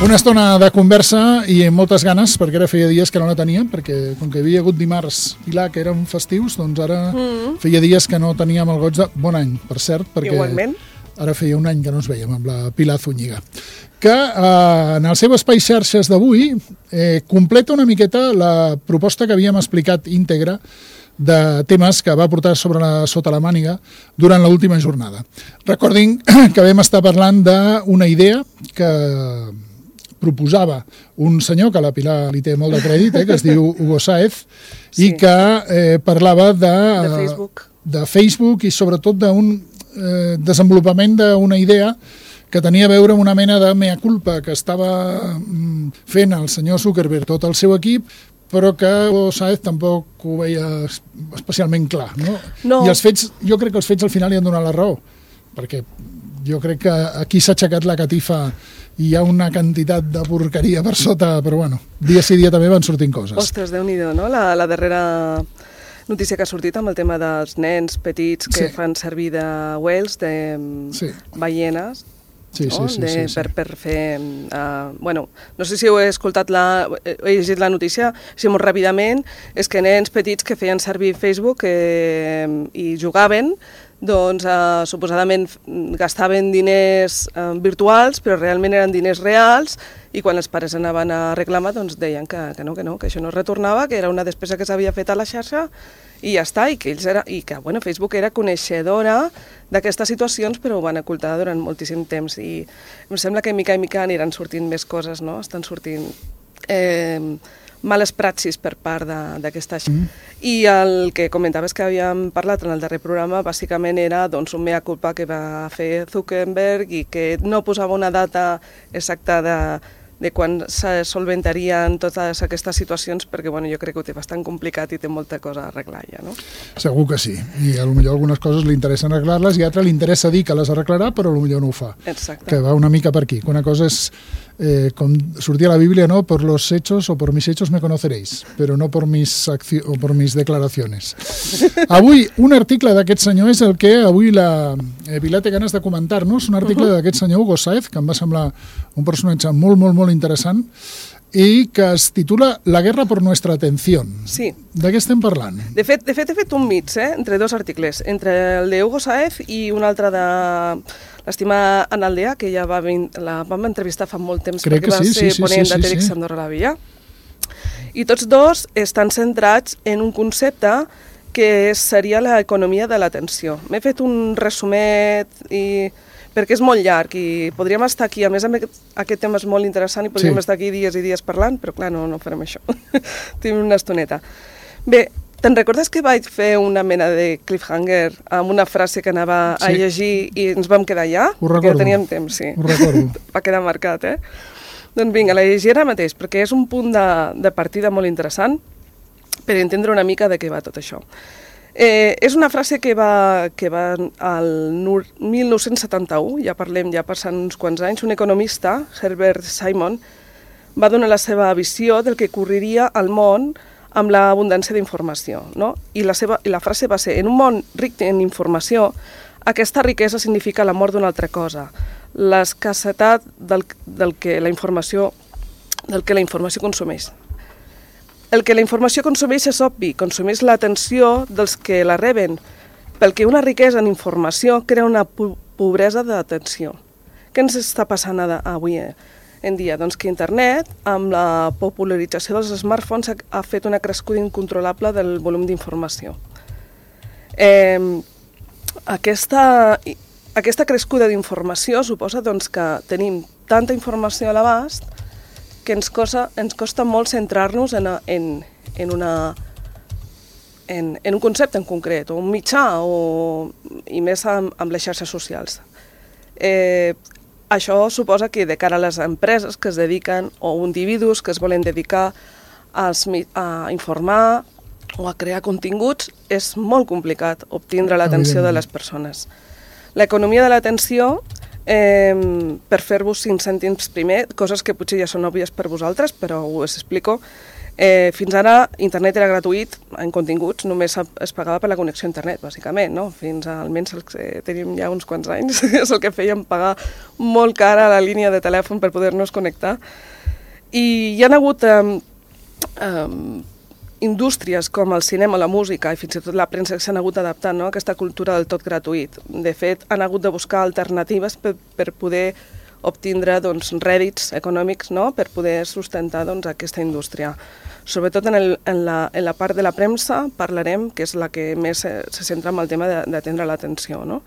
Una estona de conversa i amb moltes ganes, perquè ara feia dies que no la teníem, perquè com que havia hagut dimarts Pilar, que eren festius, doncs ara feia dies que no teníem el goig de... Bon any, per cert, perquè igualment. Ara feia un any que no ens veiem amb la Pilar Zúñiga, que en el seu espai xarxes d'avui completa una miqueta la proposta que havíem explicat íntegra de temes que va portar sota la màniga durant l'última jornada. Recordin que vam estar parlant d'una idea que proposava un senyor, que a la Pilar li té molt de crèdit, que es diu Hugo Sáez, i que parlava de Facebook i sobretot d'un desenvolupament d'una idea que tenia a veure amb una mena de mea culpa que estava fent el senyor Zuckerberg, tot el seu equip, però que Sáez tampoc ho veia especialment clar. No? I els fets, jo crec que els fets al final li han donat la raó, perquè jo crec que aquí s'ha aixecat la catifa i hi ha una quantitat de porqueria per sota, però bueno, dia sí dia també van sortint coses. Ostres, Déu-n'hi-do, no? La darrera notícia que ha sortit amb el tema dels nens petits que fan servir de whales, de ballenes, per fer... Bueno, no sé si heu escoltat he llegit la notícia, si molt ràpidament, és que nens petits que feien servir Facebook i jugaven, doncs suposadament gastaven diners virtuals, però realment eren diners reals, i quan els pares anaven a reclamar doncs deien que no, que això no es retornava, que era una despesa que s'havia fet a la xarxa, i ja està, i que Facebook era coneixedora d'aquestes situacions, però ho van ocultar durant moltíssim temps, i em sembla que mica i mica aniran sortint més coses, no? Estan sortint males praxis per part d'aquesta xarxa. I el que comentaves que havíem parlat en el darrer programa, bàsicament era un mea culpa que va fer Zuckerberg i que no posava una data exacta de quan se solventarien totes aquestes situacions, perquè jo crec que ho té bastant complicat i té molta cosa a arreglar ja, no? Segur que sí, i potser algunes coses li interessa arreglar-les i a altres li interessa dir que les arreglarà, però potser no ho fa. Exacte. Que va una mica per aquí, que una cosa és, com sortia a la Bíblia, no? Por los hechos o por mis hechos me conoceréis, però no por mis declaraciones. Avui, un article d'aquest senyor és el que avui la Pilar té ganes de comentar-nos, un article d'aquest senyor Hugo Sáez, que em va semblar un personatge molt, molt, molt interessant, i que es titula La guerra por nuestra atención. Sí. De què estem parlant? De fet, he fet un mix entre dos articles, entre el de Hugo Sáez i un altre de l'estimada Ana Aldea, que ja la vam entrevistar fa molt temps, perquè va ser ponent de TEDx Andorra la Vella. I tots dos estan centrats en un concepte que seria l'economia de l'atenció. M'he fet un resumet perquè és molt llarg i podríem estar aquí, a més aquest tema és molt interessant i podríem estar aquí dies i dies parlant, però clar, no farem això. Tenim una estoneta. Bé, te'n recordes que vaig fer una mena de cliffhanger amb una frase que anava a llegir i ens vam quedar allà? Ho recordo. Perquè teníem temps, sí. Ho recordo. Va quedar marcat, Doncs vinga, la llegiré ara mateix, perquè és un punt de partida molt interessant per entendre una mica de què va tot això. És una frase que va al 1971, ja passant uns quants anys, un economista, Herbert Simon, va donar la seva visió del que ocorreria al món amb l'abundància d'informació, no? I la frase va ser: en un món ric en informació, aquesta riquesa significa la mort d'una altra cosa, l'escassetat del que la informació consumeix. El que la informació consumeix és obvi, consumeix l'atenció dels que la reben, pel que una riquesa en informació crea una pobresa d'atenció. Què ens està passant avui en dia? Doncs que internet, amb la popularització dels smartphones, ha fet una crescuda incontrolable del volum d'informació. Aquesta crescuda d'informació suposa que tenim tanta informació a l'abast que ens costa molt centrar-nos en un concepte en concret, o un mitjà, i més amb les xarxes socials. Això suposa que de cara a les empreses que es dediquen, o individus que es volen dedicar a informar o a crear continguts, és molt complicat obtindre l'atenció de les persones. L'economia de l'atenció, per fer-vos 5 cèntims primer, coses que potser ja són òbvies per vosaltres, però us explico, Fins ara, internet era gratuït en continguts, només es pagava per la connexió a internet, bàsicament, no? Fins almenys els que tenim ja uns quants anys, és el que fèiem, pagar molt cara la línia de telèfon per poder-nos connectar. I hi ha hagut indústries com el cinema, la música i fins i tot la premsa que s'han hagut adaptant, no?, a aquesta cultura del tot gratuït. De fet, han hagut de buscar alternatives per poder obtindre rèdits econòmics, no?, per poder sustentar aquesta indústria. Sobretot en la part de la premsa parlarem, que és la que més se centra en el tema d'atendre l'atenció, no?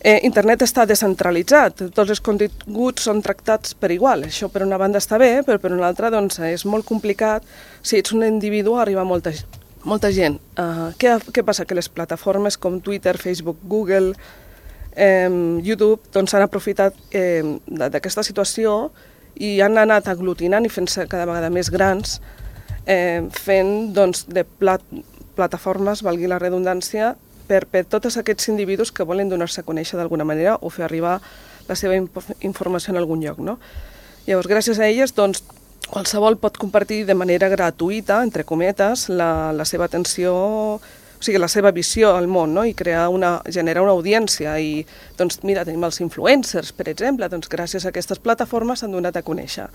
Internet està descentralitzat, tots els continguts són tractats per igual. Això per una banda està bé, però per una altra és molt complicat. Si ets un individu arriba molta gent. Què passa? Que les plataformes com Twitter, Facebook, Google, YouTube han aprofitat d'aquesta situació i han anat aglutinant i fent-se cada vegada més grans, fent de plataformes, valgui la redundància, per tots aquests individus que volen donar-se a conèixer d'alguna manera o fer arribar la seva informació en algun lloc, no? Llavors, gràcies a elles, qualsevol pot compartir de manera gratuïta, entre cometes, la seva atenció, o sigui, la seva visió al món, no? I generar una audiència. I, mira, tenim els influencers, per exemple, gràcies a aquestes plataformes s'han donat a conèixer.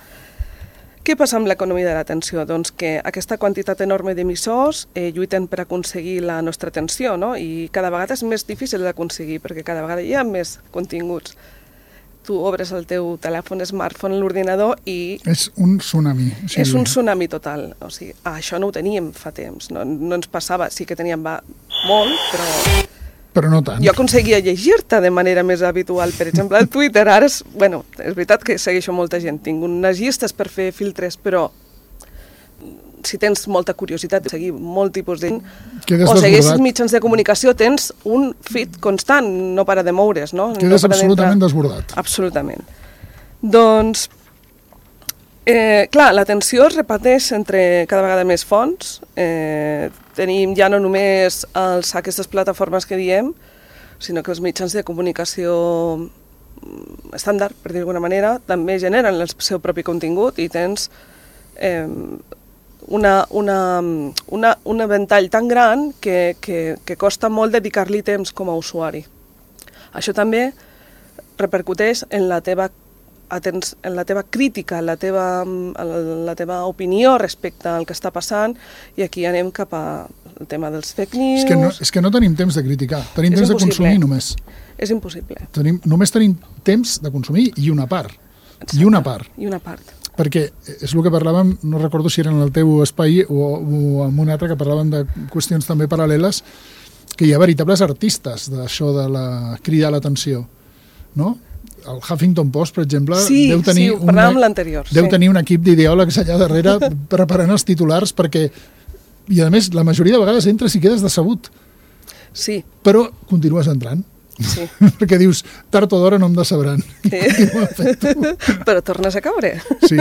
Què passa amb l'economia de l'atenció? Que aquesta quantitat enorme d'emissors lluiten per aconseguir la nostra atenció, no? I cada vegada és més difícil d'aconseguir perquè cada vegada hi ha més continguts. Tu obres el teu telèfon, smartphone, l'ordinador i... És un tsunami. És un tsunami total. O sigui, això no ho teníem fa temps, no ens passava. Sí que teníem molt, però no tant. Jo aconseguia llegir-te de manera més habitual. Per exemple, el Twitter, ara és veritat que segueixo molta gent. Tinc unes llistes per fer filtres, però si tens molta curiositat de seguir molt tipus de... O segueixes mitjans de comunicació, tens un feed constant, no para de moure's, no? Quedes absolutament desbordat. Absolutament. Clar, l'atenció es reparteix entre cada vegada més fonts. Tenim ja no només aquestes plataformes que diem, sinó que els mitjans de comunicació estàndard, per dir d'alguna manera, també generen el seu propi contingut i tens un ventall tan gran que costa molt dedicar-li temps com a usuari. Això també repercuteix en la teva crítica, en la teva opinió respecte al que està passant, i aquí anem cap al tema dels fake news. És que no tenim temps de criticar, tenim temps de consumir només. És impossible. Només tenim temps de consumir i una part. Exacte. I una part. I una part. Perquè és el que parlàvem, no recordo si era en el teu espai o en un altre, que parlàvem de qüestions també paral·leles, que hi ha veritables artistes d'això de cridar l'atenció, no? El Huffington Post, per exemple, deu tenir un equip d'ideòlegs allà darrere preparant els titulars perquè, i a més, la majoria de vegades entres i quedes decebut. Sí. Però continues entrant. Sí. Perquè dius, tard o d'hora no em decebran. Sí. Però tornes a caure. Sí.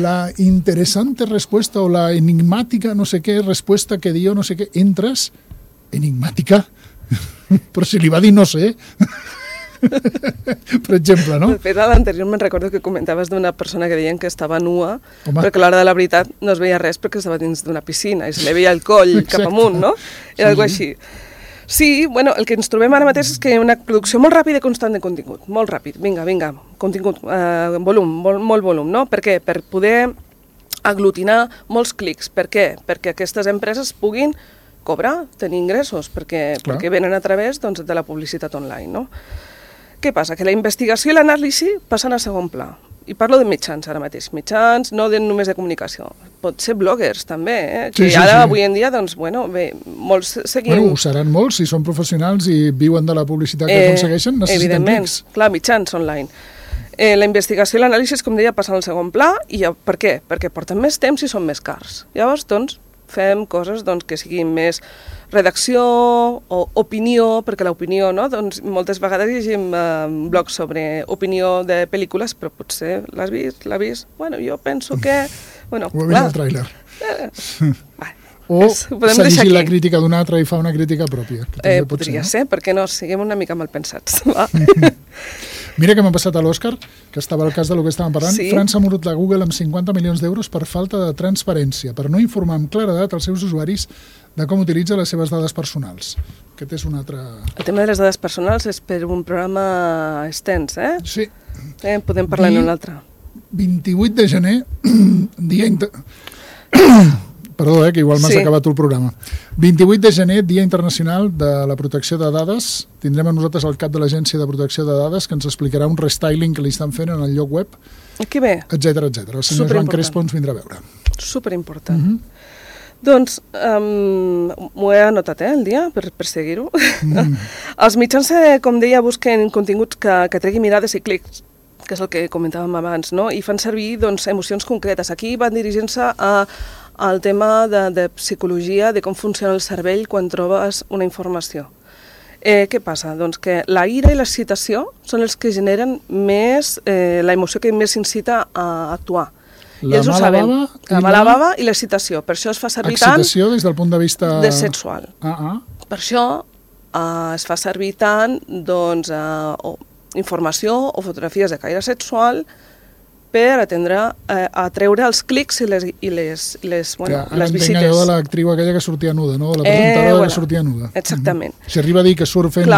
La interessante respuesta o la enigmàtica no sé què respuesta que dio no sé què, entres, enigmàtica, però si li va dir no sé... per exemple, no? De fet, a l'anterior me'n recordo que comentaves d'una persona que deien que estava nua, però que a l'hora de la veritat no es veia res perquè estava dins d'una piscina i se li veia el coll cap amunt, no? Era alguna així. Sí, bueno, el que ens trobem ara mateix és que hi ha una producció molt ràpida i constant de contingut, molt ràpid, vinga, contingut, volum, molt volum, no? Per què? Per poder aglutinar molts clics. Per què? Perquè aquestes empreses puguin cobrar, tenir ingressos, perquè venen a través de la publicitat online, no? Què passa? Que la investigació i l'anàlisi passen a segon pla. I parlo de mitjans ara mateix. Mitjans, no només de comunicació. Pot ser bloggers, també, que ara, avui en dia, molts seguim... Ho seran molts, si són professionals i viuen de la publicitat que aconsegueixen, necessiten clics. Clar, mitjans online. La investigació i l'anàlisi, com deia, passen al segon pla. I per què? Perquè porten més temps i són més cars. Llavors, fem coses que siguin més redacció o opinió, perquè l'opinió, no? Moltes vegades llegim blogs sobre opinió de pel·lícules, però potser l'has vist? Bueno, jo penso que... Bueno, ho he vist al tràiler. O s'ha llegit la crítica d'un altre i fa una crítica pròpia. Podria ser, perquè no, siguem una mica mal pensats. Mira què m'ha passat a l'Òscar, que estava al cas del que estàvem parlant. Sí. França ha mordut la Google amb 50 milions d'euros per falta de transparència, per no informar amb claredat els seus usuaris de com utilitza les seves dades personals. Aquest és un altre... El tema de les dades personals és per un programa extens, eh? Sí. Podem parlar en un altre. 28 de gener, dia... Perdó, que igual m'has acabat tu el programa. 28 de gener, Dia Internacional de la Protecció de Dades. Tindrem a nosaltres el cap de l'Agència de Protecció de Dades que ens explicarà un restyling que li estan fent en el lloc web, Que bé. etcètera, etcètera. El senyor Joan Crespo ens vindrà a veure. Superimportant. Doncs m'ho he anotat, el dia, per seguir-ho. Els mitjans, com deia, busquen continguts que treguin mirades i clics, que és el que comentàvem abans, no? I fan servir doncs, emocions concretes. Aquí van dirigint-se al tema de psicologia, de com funciona el cervell quan trobes una informació. Què passa? Doncs que la ira i l'excitació són els que generen més, la emoció que més incita a actuar. La mala bava i l'excitació. Per això es fa servir tant... Excitació des del punt de vista... De sexual. Per això es fa servir tant, doncs, informació o fotografies de caire sexual per atreure els clics i les visites. Ara entenc allò de l'actriu aquella que sortia nuda, no? La presentadora que sortia nuda. Exactament. Si arriba a dir que surt fent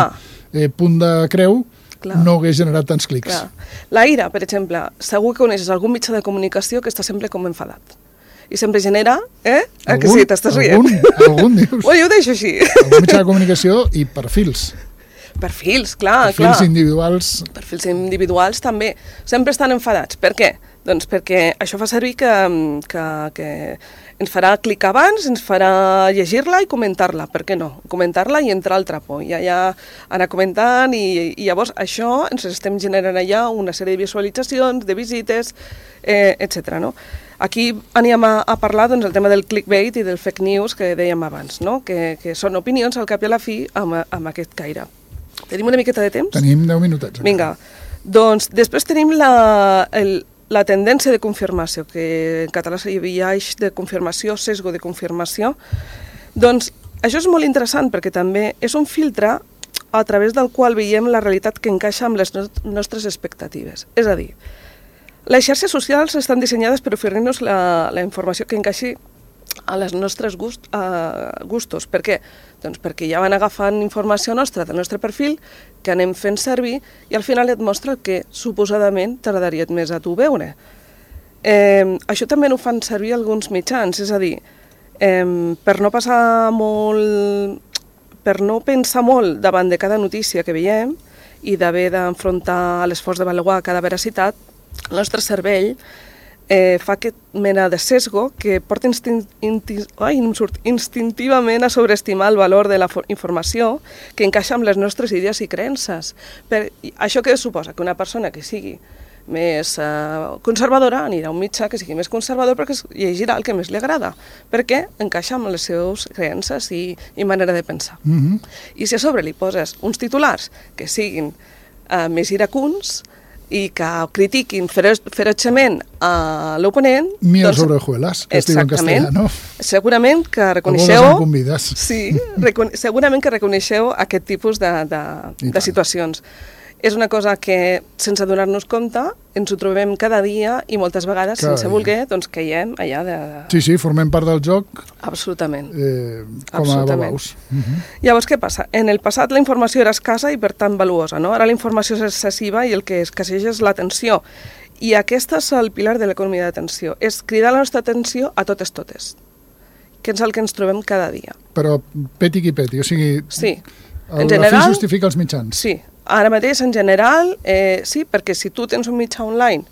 punt de creu, no hagués generat tants clics. Clar. La ira, per exemple, segur que coneixes algun mitjà de comunicació que està sempre com enfadat. I sempre genera, que sí, t'estàs rient? Algun dius. Jo ho deixo així. Algun mitjà de comunicació i perfils. Perfils, clar. Perfils individuals. Perfils individuals també. Sempre estan enfadats. Per què? Doncs perquè això fa servir que ens farà clicar abans, ens farà llegir-la i comentar-la. Per què no? Comentar-la i entrar al trapo. I allà anar comentant i llavors això ens estem generant allà una sèrie de visualitzacions, de visites, etc. No? Aquí anem a parlar doncs, el tema del clickbait i del fake news que dèiem abans, no? Que són opinions al cap i a la fi amb aquest caire. Tenim una miqueta de temps? Tenim 10 minutets. Vinga, doncs després tenim la tendència de confirmació, que en català hi havia eix de confirmació, sesgo de confirmació. Doncs això és molt interessant perquè també és un filtre a través del qual veiem la realitat que encaixa amb les nostres expectatives. És a dir, les xarxes socials estan dissenyades per oferir-nos la informació que encaixi a les nostres gustos. Per què? Doncs perquè ja van agafant informació nostra del nostre perfil que anem fent servir i al final et mostra el que suposadament t'agradaria més a tu veure. Això també ho fan servir alguns mitjans, és a dir, per no passar molt, per no pensar molt davant de cada notícia que veiem i d'haver d'enfrontar l'esforç d'avaluar cada veracitat, el nostre cervell fa aquest mena de sesgo que porta instintivament a sobreestimar el valor de la informació que encaixa amb les nostres idees i creences. Això què suposa? Que una persona que sigui més conservadora anirà a un mitjà que sigui més conservador perquè llegirà el que més li agrada, perquè encaixa amb les seves creences i manera de pensar. I si a sobre li poses uns titulars que siguin més iracuns, i que critiquin ferotgement a l'oponent... Miel sobre hojuelas, que es diu en castellà, no? Segurament que reconeixeu... A bodes em convides. Sí, segurament que reconeixeu aquest tipus de situacions. És una cosa que, sense donar-nos compte, ens ho trobem cada dia i moltes vegades, sense voler, doncs caiem allà de... Sí, formem part del joc. Absolutament. Com a babaus. Llavors, què passa? En el passat la informació era escassa i per tant valuosa, no? Ara la informació és excessiva i el que escasseja és l'atenció. I aquesta és el pilar de l'economia d'atenció. És cridar la nostra atenció a totes, que és el que ens trobem cada dia. Però peti qui peti, o sigui... Sí. En general, la fi justifica els mitjans. Sí. Ara mateix, en general, sí, perquè si tu tens un mitjà online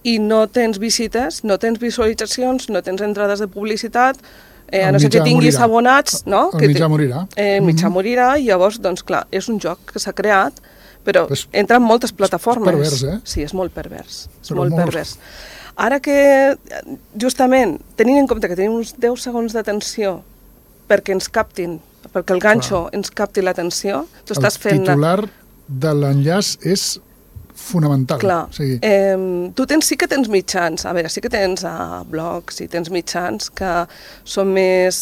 i no tens visites, no tens visualitzacions, no tens entrades de publicitat, a no ser que tinguis abonats... No? El mitjà morirà. El mitjà morirà i llavors, doncs clar, és un joc que s'ha creat, però entra en moltes plataformes. És pervers, Sí, és molt pervers. És molt pervers. Ara que, justament, tenint en compte que tenim uns 10 segons d'atenció perquè ens captin, perquè el ganxo ens capti l'atenció, tu estàs fent... El titular de l'enllaç és fonamental. Clar. Tu sí que tens mitjans, a veure, sí que tens blogs i tens mitjans que són més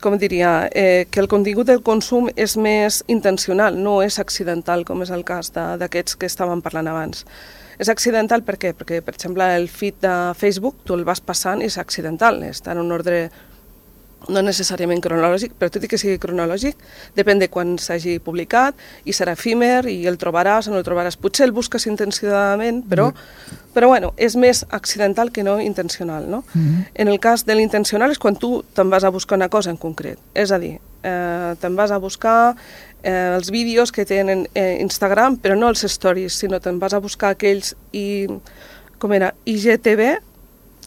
com diria, que el contingut del consum és més intencional, no és accidental, com és el cas d'aquests que estàvem parlant abans. És accidental per què? Perquè, per exemple, el feed de Facebook, tu el vas passant i és accidental, està en un ordre no necessàriament cronològic, però tot i que sigui cronològic, depèn de quan s'hagi publicat i serà efímer i el trobaràs o no el trobaràs. Potser el busques intencionadament, però bueno, és més accidental que no intencional, no? En el cas de l'intencional és quan tu te'n vas a buscar una cosa en concret. És a dir, te'n vas a buscar els vídeos que tenen Instagram, però no els stories, sinó te'n vas a buscar aquells IGTV,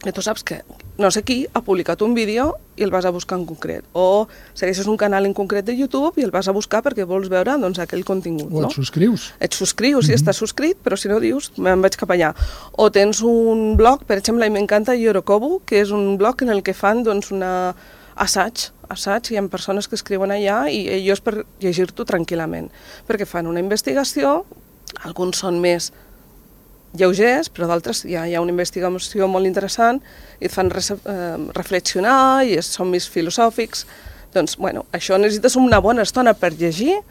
que tu saps que no sé qui ha publicat un vídeo i el vas a buscar en concret. O segueixes un canal en concret de YouTube i el vas a buscar perquè vols veure doncs, aquell contingut. O et subscrius. Et subscrius, sí, estàs subscrit, però si no dius, me'n vaig cap allà. O tens un blog, per exemple, i m'encanta Yorokobu, que és un blog en el que fan doncs, una assaig, hi ha persones que escriuen allà i ells per llegir-t'ho tranquil·lament, perquè fan una investigació, alguns són més lleugers, però d'altres hi ha una investigació molt interessant i et fan reflexionar i són més filosòfics. Doncs, bueno, això necessites una bona estona per llegir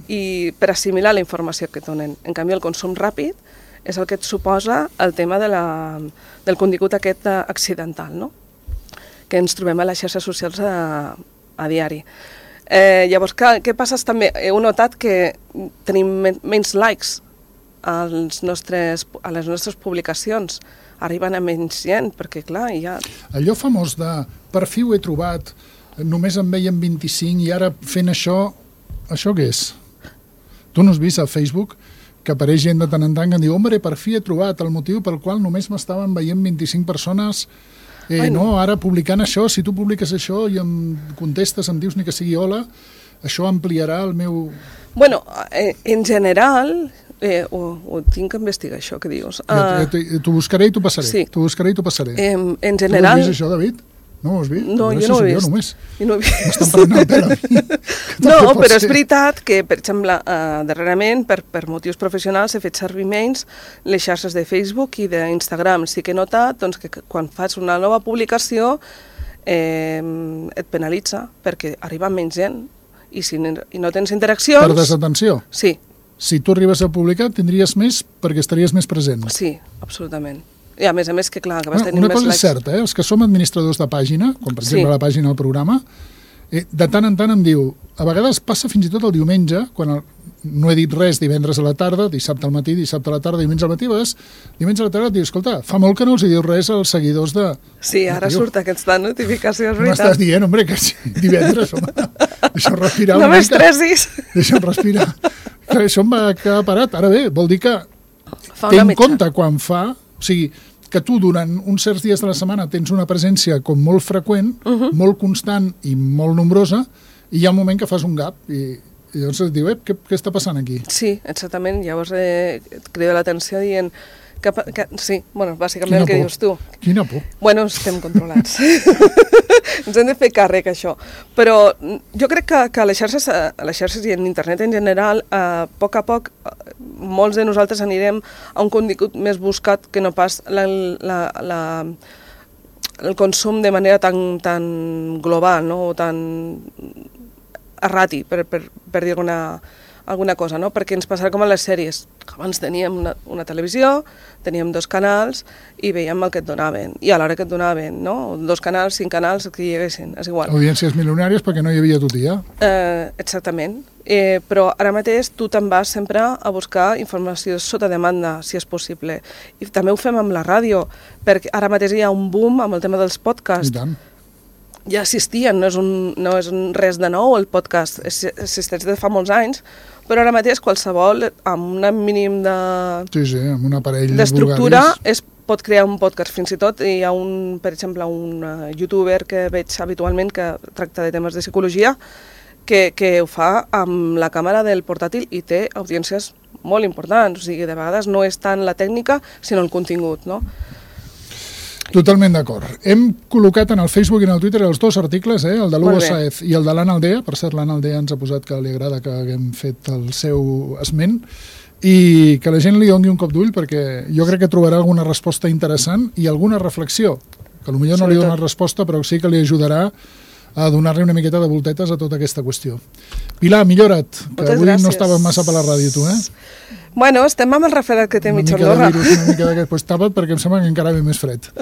i per assimilar la informació que et donen. En canvi, el consum ràpid és el que et suposa el tema del contingut aquest accidental, no? Que ens trobem a les xarxes socials a diari. Llavors, què passa també? Heu notat que tenim menys likes a les nostres publicacions, arriben a menys gent, perquè clar, ja... Allò famós de per fi ho he trobat, només en veiem 25 i ara fent això què és? Tu no has vist a Facebook que apareix gent de tant en tant que diu, hombre, per fi he trobat el motiu pel qual només m'estaven veient 25 persones, no, ara publicant això, si tu publiques això i em contestes, em dius ni que sigui hola, això ampliarà el meu... Bueno, en general... ho tinc que investigar, això que dius. T'ho buscaré i t'ho passaré. Sí. T'ho buscaré i t'ho passaré. En general... Tu has vist això, David? No ho has vist? No, jo no ho he vist. M'estan prenent el pèl a mi. No, però és veritat que, per exemple, darrerament, per motius professionals, he fet servir menys les xarxes de Facebook i d'Instagram. Sí que he notat doncs, que quan fas una nova publicació et penalitza perquè arriba menys gent i si no tens interaccions... Per desatenció? Sí. Si tu arribes a publicar, tindries més perquè estaries més present. Sí, absolutament. I a més que clar, que vas tenir més likes. Una cosa és certa, els que som administradors de pàgina, com per exemple la pàgina del programa, de tant en tant em diu, a vegades passa fins i tot el diumenge, quan no he dit res divendres a la tarda, dissabte al matí, dissabte a la tarda, diumenge al matí, diumenge a la tarda et diu, escolta, fa molt que no els dius res als seguidors de... Sí, ara surt aquesta notificació, és veritat. M'estàs dient, home, que divendres, home, deixa'm respirar una mica. No m'estressis. Deixa'm respirar. Que això em va quedar parat. Ara bé, vol dir que té en compte quan fa... O sigui, que tu durant uns certs dies de la setmana tens una presència com molt freqüent, molt constant i molt nombrosa, i hi ha un moment que fas un gap i llavors et diu, què està passant aquí? Sí, exactament. Llavors et crida l'atenció dient... sí, bueno, bàsicament el que dius tu. Quina por. Bueno, estem controlats. Ens hem de fer càrrec, això. Però jo crec que a les xarxes i en internet en general, a poc, molts de nosaltres anirem a un contingut més buscat que no pas el consum de manera tan global, no? O tan errati, per dir alguna cosa, no? Perquè ens passarà com a les sèries. Abans teníem una televisió, teníem 2 canals i veiem el que et donaven. I a l'hora que et donaven, no? 2 canals, 5 canals, que hi haguessin, és igual. Audiències milionàries perquè no hi havia tutia. Exactament. Però ara mateix tu te'n vas sempre a buscar informació sota demanda, si és possible. I també ho fem amb la ràdio, perquè ara mateix hi ha un boom amb el tema dels podcasts. I tant. Ja existien, no és res de nou el podcast, existeix de fa molts anys, però ara mateix qualsevol amb un mínim de... Sí, amb un aparell d'estructura pot crear un podcast. Fins i tot hi ha per exemple, un youtuber que veig habitualment que tracta de temes de psicologia que ho fa amb la càmera del portàtil i té audiències molt importants, o sigui, de vegades no és tant la tècnica sinó el contingut, no? Totalment d'acord. Hem col·locat en el Facebook i en el Twitter els 2 articles, el de l'Hugo Sáez i el de l'Anna Aldea. Per cert, l'Anna Aldea ens ha posat que li agrada que haguem fet el seu esment i que la gent li doni un cop d'ull perquè jo crec que trobarà alguna resposta interessant i alguna reflexió, que potser no li dona resposta però sí que li ajudarà a donar-li una miqueta de voltetes a tota aquesta qüestió. Pilar, millora't, que Moltes avui gràcies. no estàvem massa per la ràdio, tu, Bueno, estem amb el refredat que té Una mitja mica de Andorra. virus, una mica d'aquest... Pues tapa't perquè em sembla que encara ve més fred.